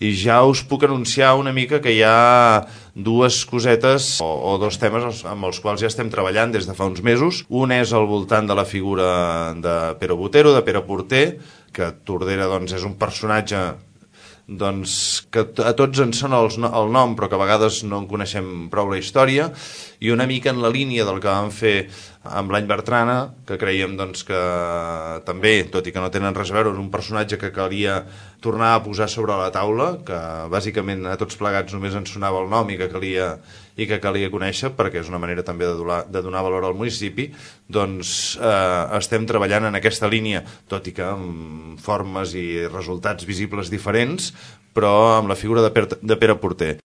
i ja us puc anunciar una mica que hi ha dues cosetes o dos temes amb els quals ja estem treballant des de fa uns mesos. Un és al voltant de la figura de Pero Botero, de Pere Porter, que Tordera doncs, és un personatge que a tots ens sona el nom però que a vegades no en coneixem prou la història, i una mica en la línia del que vam fer amb l'Any Bertrana, que creiem doncs, que també, tot i que no tenen res a veure, és un personatge que calia tornar a posar sobre la taula, que bàsicament a tots plegats només ens sonava el nom i que calia conèixer, perquè és una manera també de donar valor al municipi. Doncs estem treballant en aquesta línia, tot i que amb formes i resultats visibles diferents, però amb la figura de Pere Porter.